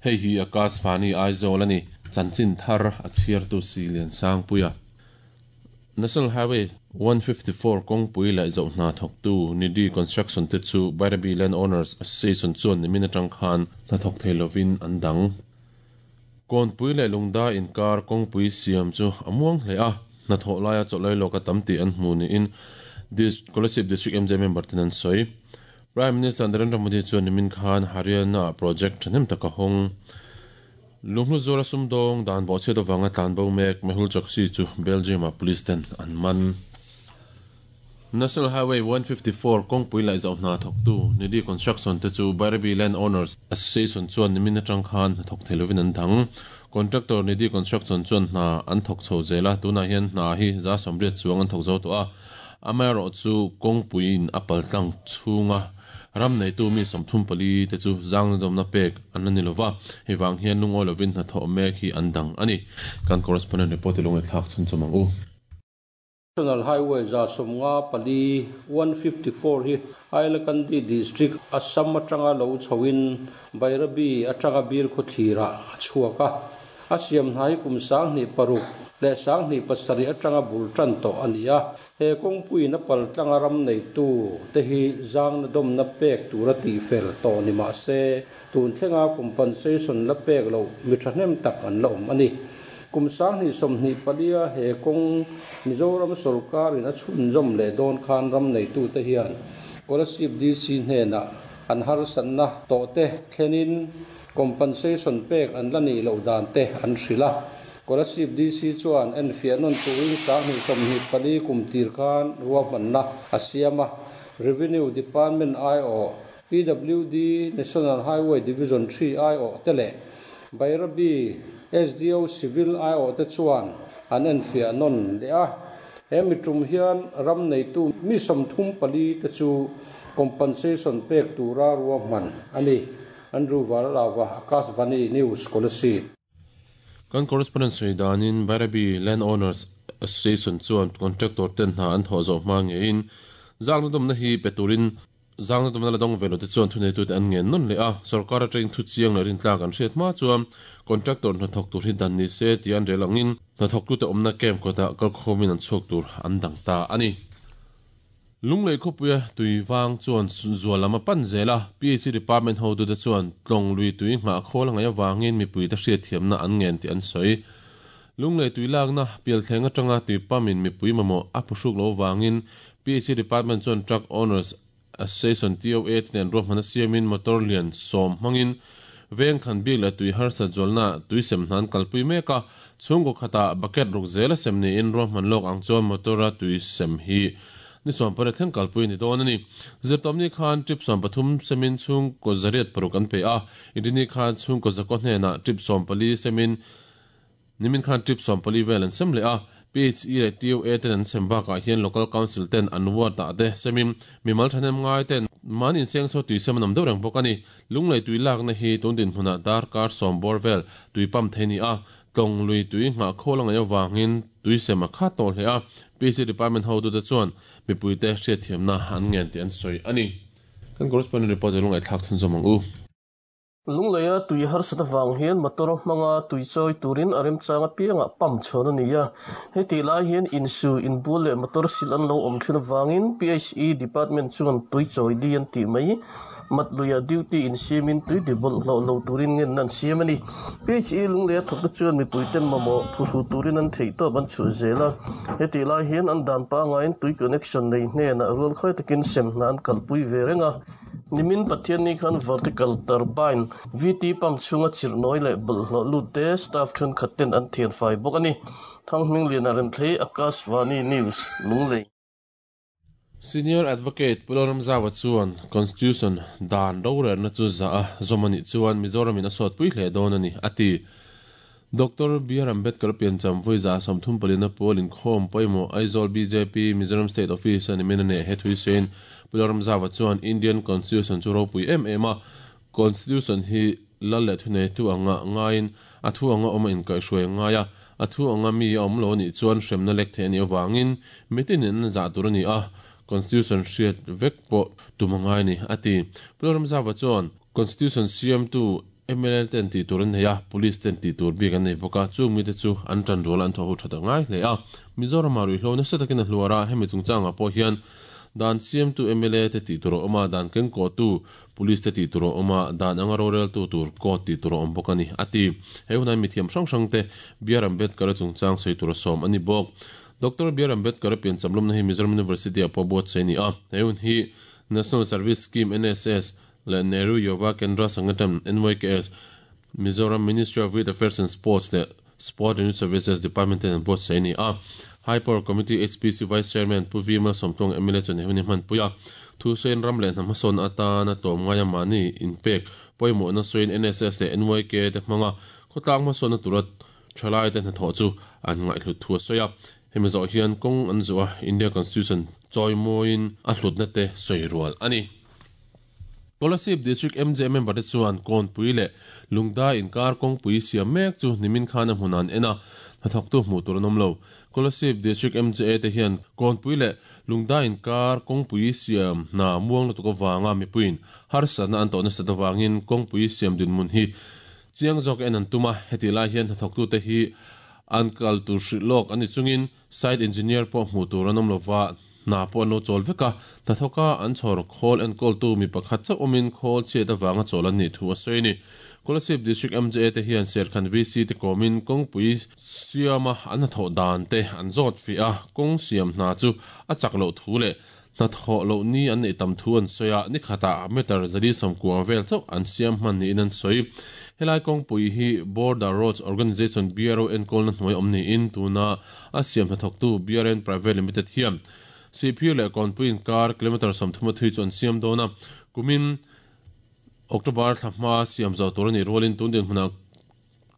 Hei hi Akashvani Aizawl a ni. Chanchin thar a chhiartu si Liansangpuia. National Highway 154 kawngpui leh zoh hna thawktu Nidhi Construction te chu Bairabi Land Owners Association chuan nimin atang khan hna thawk thei lovin an dang. Kawnpui leh Lungda inkar kawngpui siam chu a muang hle a, hnathawh laia chawlh lawk a tam tih an hmu niin Kolasib District MJ member ten an sawi. Prime Minister Narendra Modi chuan nimin khan Haryana-ah project thahnem tak a hawng. Lunghlu zuala sumdawng dan bawhchhiat avanga tlanbo mek Mehul Choksi chu Belgium-ah police ten an man. National Highway 154 kawngpui laih zoh hna thawktu Nidhi Construction te chu Bairabi Land Owners Association chuan nimin atang khan hna thawk thei lovin an dang. Contractor Nidhi Construction chuan hna an thawk chho zel a, tunah hian hna hi 180 chuang an thawk zo tawh a. Amaherawh chu kawngpuiin a paltlang chhunga ram neitu mi 34 te chu zangnadawmna pek an la ni lova, hei vang hian lungawi lovin hnathawh mek hi an dang a ni. Kan correspondent report i lungaihthlak chhun chawm ang u. National Highway 154, 154 hi Hailakandi District, Assam atanga lo chhoin Bairabi atanga Bilkhawthlirah a chhuak a. A siam hna hi kum 2006 leh 2007 atanga bul tan tawh a ni a. He kawngpuiin a paltlanga ram neitu te hi zangna dawmna pek tura tihfel tawh ni mah se, tun thlenga compensation la pek loh mi thahnem tak an la awm a ni. Kum 2024-a he kawng Mizoram sawrkarin a chhunzawm leh dawn khan ram neitute hian Kolasib DC hnenah an harsatna tawhte thlenin compensation pek an la nih loh dan te an hrilh a. Kolasib DC chuan enfiah nawn turin 2024 kum tir khan ruahmanna a siam a. Revenue Department aiawh, PWD National Highway Division 3 aiawh te leh Bairabi SDO Civil aiawh te chuan an enfiah nawn leh a. He mi tum hian ram neitu mi 34 te chu compensation pek tura ruahman a ni. Andrew Varlava, Akashvani News, Kolasib. Kan correspondent sawi danin Bairabi Land Owners Association chuan contractor ten hna an thawh zawh hma ngeiin zangna dawmna hi pe turin zangna dawmna la dawng ve lo te chuan thuneitute an ngen nawn leh a. Sorkar atangin thu chiang leh rintlak an hriat hma chuan contractor hnathawk tur hi dan ni se tih an rel angin hnathawktute awmna camp kawtah kalkhawmin an chhuak tur an dang ta a ni. Lunglei khawpuia tui vang chuan zual lam a pan zel a, PHC department hotute chuan tlawng lui tui nghah khawl a ngaih avangin mipuite hriatthiamna an ngen tih an sawi. Lunglei tui lakna pialthleng atanga tui pumpin mipui mamawh a phuhruk lo avangin PHC department chuan Truck Owners Association, TOA, te nen ruahman a siamin motor lian 10 hmangin veng khan bik leh tui harsat zualna tui sem hna an kalpui mek a, chhungkaw khatah bucket ruk zel a sem niin ruahman lawk ang chuan motor-a tui sem hi ni 18 thleng kalpui a ni dawn a ni. Zirtawpni khan trip 13 semin chhungkaw 106 an pe a, Inrini khan chhungkaw 9 hnenah trip 14 semin nimin khan trip 14 vel an sem leh a. PHE leh TOA ten an sem bakah hian Local Council ten an ward ah te semin mimal thahnem ngai ten mahni insengso tui sem an awm deuh reng bawk a ni. Lunglei tui lakna hi tun dinhmunah darkar 10 bawr vel tui pump thei a ni a, tlawng lui tui nghah khawl a ngaih avangin tui sem a khat tawh hle a, PHE department hotute chuan mipuite hriatthiamna an ngen tih an sawi a ni. Kan correspondent report hi lungaihthlak chhunzawm ang u. Lungleia tui harsat avang hian motor hmanga tui chawi turin a remchang apiangah pump chhawn a ni a. Hetih lai hian insu, inbul leh motor sil an lo awm thin avangin PHE department chuan tui chawi di an tih mai. Mat luiah duty insiamin tui ti bawlhhlawh lo turin ngenna an siam a ni. PHE Lungleia thawkte chuan mipuite mamawh phuhru turin an theihtawp an chhuah zel a. Hetih lai hian an dan pangaiin tui connection nei hnenah rual khawi takin sem hna an kalpui ve reng a. Nimin Pathianni khan vertical turbine, VT pump chhunga chirhnawi leh bawlhhlawh lut te staff thenkhat ten an thianfai bawk a ni. Thanghmingliana Remthlei, Akashvani News, Lunglei. Senior Advocate Pu Lalramzaua chuan Constitution dan rorelna chu zah a zawm a nih chuan Mizoramin a sawtpui hle dawn a ni, a ti. Doctor BR Ambedkar piancham vawi 34 na pawl inkhawm pawimawh Aizawl bjp Mizoram State Office a nimin a nei he thuisein Pu Lalramzaua chuan Indian Constitution chu ropui em em a, Constitution hi lal leh thuneitu anga ngaiin a thu anga awm a inkaihhruai a ngai a. A thu anga mi a awm lo anih chuan hremna lek theih a nih avangin mitinin an zah tur a ni a, Constitution hriat vek pawh tum a ngai a ni, a ti. Pu Lalramzava chuan Constitution siamtu mla ten tih tur an nei a, Police ten tih tur bik an nei bawk a, chung mite chu an tan rual a an thawh ho that a ngai hle a. Mizoramah ruihhlo nasa takin a hluar a, hemi chungchangah pawh hian dan siamtu mla te tih tur a awm a, dan kengkawhtu Police te tih tur a awm a, dan anga roreltu tur court tih tur a awm bawk a ni, a ti. He hunah mithiam hrang hrang te BR Ambedkar-a chungchang sawi tur a sawm a ni bawk. Doctor BR Ambedkar-a piancham lawmna hi Mizoram University-ah pawh buatsaih a ni a, he hun hi National Service Scheme, NSS, leh Nehru Yuva Kendra Sangathan, NYKS, Mizoram Ministry of Youth Affairs and Sports leh Sport and Youth Services Department ten an buatsaih a ni a. High Power Committee, HPC, Vice Chairman Pu V Malsawmtluang mla chuan he hun hi hmanpui a. Thusawiin ram leh hnam hmasawnna atana tlawmngaia mahni inpek pawimawhna sawiin NSS leh NYK te hmanga khawtlang hmasawnna tura thalaite hnathawh chu an ngaihhlut thu a sawi a. Hemi zawh hian kawng an zuh a, India Constitution chawimawiin a hlutna te sawi rual a ni. Kolasib District MJ member te chuan Kawnpui leh Lungdai inkar kawngpui siam mek chu nimin khan a hmun an en a, hnathawktu hmuh tur an awm lo. Kolasib District MJA te hian Kawnpui leh Lungdai inkar kawngpui siam hna muang lutuk avanga mipuiin harsatna an tawh nasat avangin kawngpui siam dinhmun hi chiang zawk en an tum a, hetih lai hian hnathawktute hi an kal tur hrilh lawk a ni chungin Site engineer pawh hmuh tur an awm lova, hna pawh an lo chawl vek a, hnathawka an chhawr khawl enkawltu mi pakhat chauh awmin khawl chhiat avanga chawl an nih thu a sawi a ni. Kolasib District MJA te hian Serkhan VC te kawmin kawngpui siama an hnathawh dan te an zawt fiah a, kawng siam hna chu a chak loh thu leh hnathawh loh ni an neih tam thu an sawi a, ni khatah meter 190 vel chauh an siam hman niin an sawi. Helai kawngpui hi Border Roads Organisation, BRO, enkawlna hnuai awm niin tuna a siam hnathawktu BRN Private Limited hian Sihphir leh Kawnpui inkar kilometre 30 a thui chu an siam dawn a, kumin October thla hma siam zawh tur a nih rualin tun dinhmunah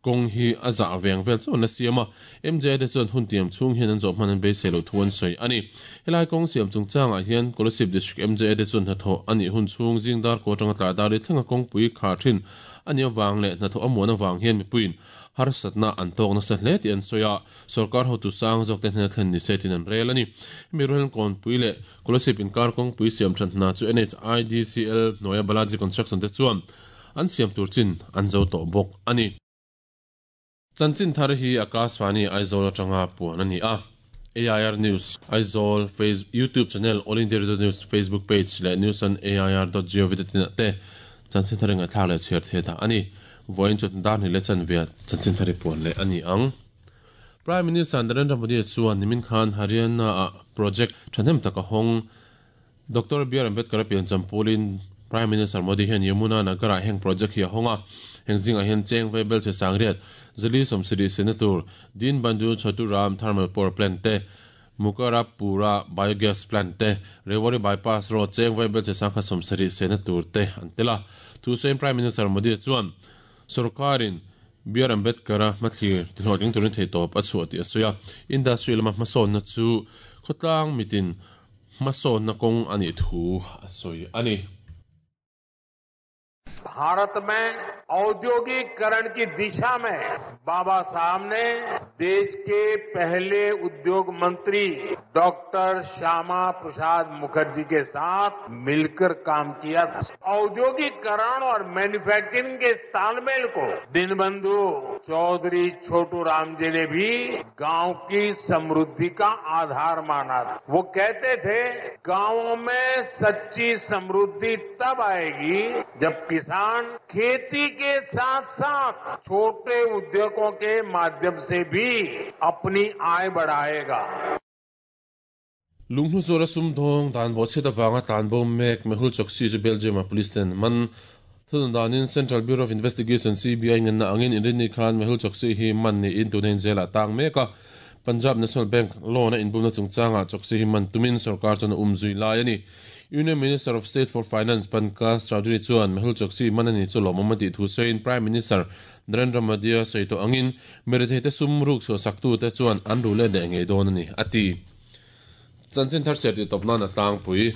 Kawng hi a zah veng vel chauh an la siam a, MJ te chuan hun tiam chhung hian an zawh hman an beisei loh thu an sawi a ni. Helai kawng siam chungchangah hian Kolasib District MJA te chuan hnathawh a nih hun chhung zing dar kaw atanga tlai dar ri thlenga kawngpui khar thin a nih avang leh hnathawh a muan avang hian mipuiin harsatna an tawk nasa hle tih an sawi a, sorkar hotu sang zawk te hnena thlen ni se tiin an rel a ni. Hemi rualin Kawnpui leh Kolasib inkar kawngpui siam that hna chu NHIDCL hnuaia Balaji Construction te chuan An siam tur chin an zo tawh bawk a ni. Chanchin thar hi Akashvani Aizawl atanga puan a ni a. AIR News, Aizawl, Face, YouTube channel, All India Radio News Facebook page leh news on air dot gov dot in ah te chanchin thar i ngaihthlak leh chhiar thei dah a ni. Vawiin chu dar hnih leh chanve chanchin thar i puan leh a ni ang. Prime Minister Narendra Modi chuan nimin khan Haryana-ah project thahnem tak a hawng. Doctor BR Ambedkar-a piancham pulin Prime Minister Modi hian Yamuna Nagar-ah heng project hi a hawng a. Heng zingah hian cheng vei belchhe sangriat, zali sawmsarih sena tur, Deen Bandhu Chhotu Ram Thermal Power Plant te, Mukarapura Biogas Plant te, Rewari Bypass Road cheng vei belchhe sangkhat 70 sena tur te an tel a. Thusawiin Prime Minister Modi chuan sorkarin BR Ambedkar-a hmathlir tihlawhtling turin theihtawp a chhuah tih a sawi a. Industry lama hmasawnna chu khawtlang mitin Hmasawnna kawng a nih thu a sawi a ni. Bharat में औद्योगिकरण की दिशा में बाबा साहब ने देश के पहले उद्योग मंत्री डॉक्टर श्यामा प्रसाद मुखर्जी के साथ मिलकर काम किया था। औद्योगिकरण और मैन्युफैक्चरिंग के तालमेल को दीनबंधु चौधरी छोटू राम जी ने भी गांव की समृद्धि का आधार माना था। वो कहते थे, गांवों में सच्ची समृद्धि तब आएगी जब किसान खेती के साथ साथ छोटे उद्योगों के माध्यम से भी अपनी आय बढ़ाएगा। Lunghnu zuara sumdawng dan bawhchhiat avanga tlanbo mek Mehul Choksi chu Belgium-a police ten man thunun danin Central Bureau of Investigation, CBI, ngenna angin inrinni khan Mehul Choksi hi man niin tuna in jail-ah tang mek a. Punjab National Bank loan-a inbumna chungchangah Choksi hi man tumin sorkar chuan a um zui lai a ni. Union Minister of State for Finance Pankaj Chaudhary chuan Mehul Choksi man a ni chu lawmawm a tih thu sawiin Prime Minister Narendra Modi-a sawi tawh angin mirethei te sum ruk chhuah saktute chuan an ru let leh ngei dawn a ni, a ti. Chanchin thar serh tih tawp nan a tlangpui.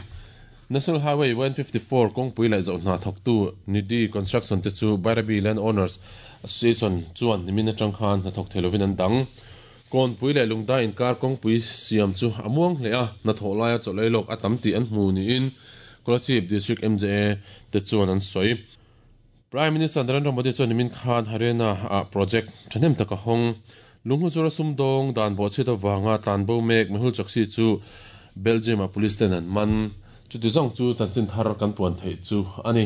National Highway 154 kawngpui leh zoh hna thawktu Nidhi Construction te chu Bairabi Land Owners Association chuan nimin atang khan hnathawk thei lovin an dang. Kawnpui leh Lungdai inkar kawngpui siam chu a muang hle a, hnathawh laia chawlh ei lawk a tam tih an hmu niin Kolasib District mja te chuan an sawi. Prime Minister Narendra Modi chuan nimin khan Haryana ah project thahnem tak a hawng. Lunghlu zura sumdawng dan bawhchhiat avanga tlanbo mek Mehul Choksi chu Belgium ah police ten an man. Chuti zawng chu chanchin thar kan puan theih chu a ni.